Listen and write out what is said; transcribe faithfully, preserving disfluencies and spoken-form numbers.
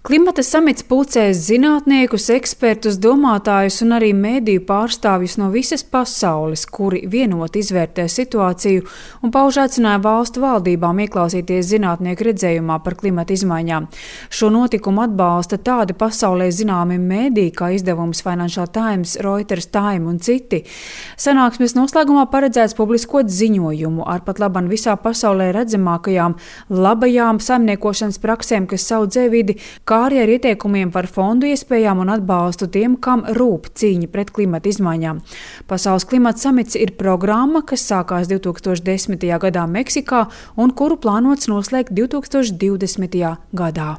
Klimata samits pulcēs zinātniekus, ekspertus, domātājus un arī mediju pārstāvjus no visas pasaules, kuri vienoti izvērtē situāciju un pauž aicinājumu valstu valdībām ieklausīties zinātnieku redzējumā par klimata izmaiņām. Šo notikumu atbalsta tādi pasaulē zināmi mediji kā izdevums Financial Times, Reuters, Time un citi. Sanāksmes noslēgumā paredzēts publiskot ziņojumu ar pat laban visā pasaulē redzamākajām labajām saimniekošanas praksēm, kas audzē vidi, kā arī ar ieteikumiem par fondu iespējām un atbalstu tiem, kam rūp cīņa pret klimata izmaiņām. Pasaules klimata samits ir programma, kas sākās divtūkstoš desmitajā gadā Meksikā un kuru plānots noslēgt divtūkstoš divdesmitajā gadā.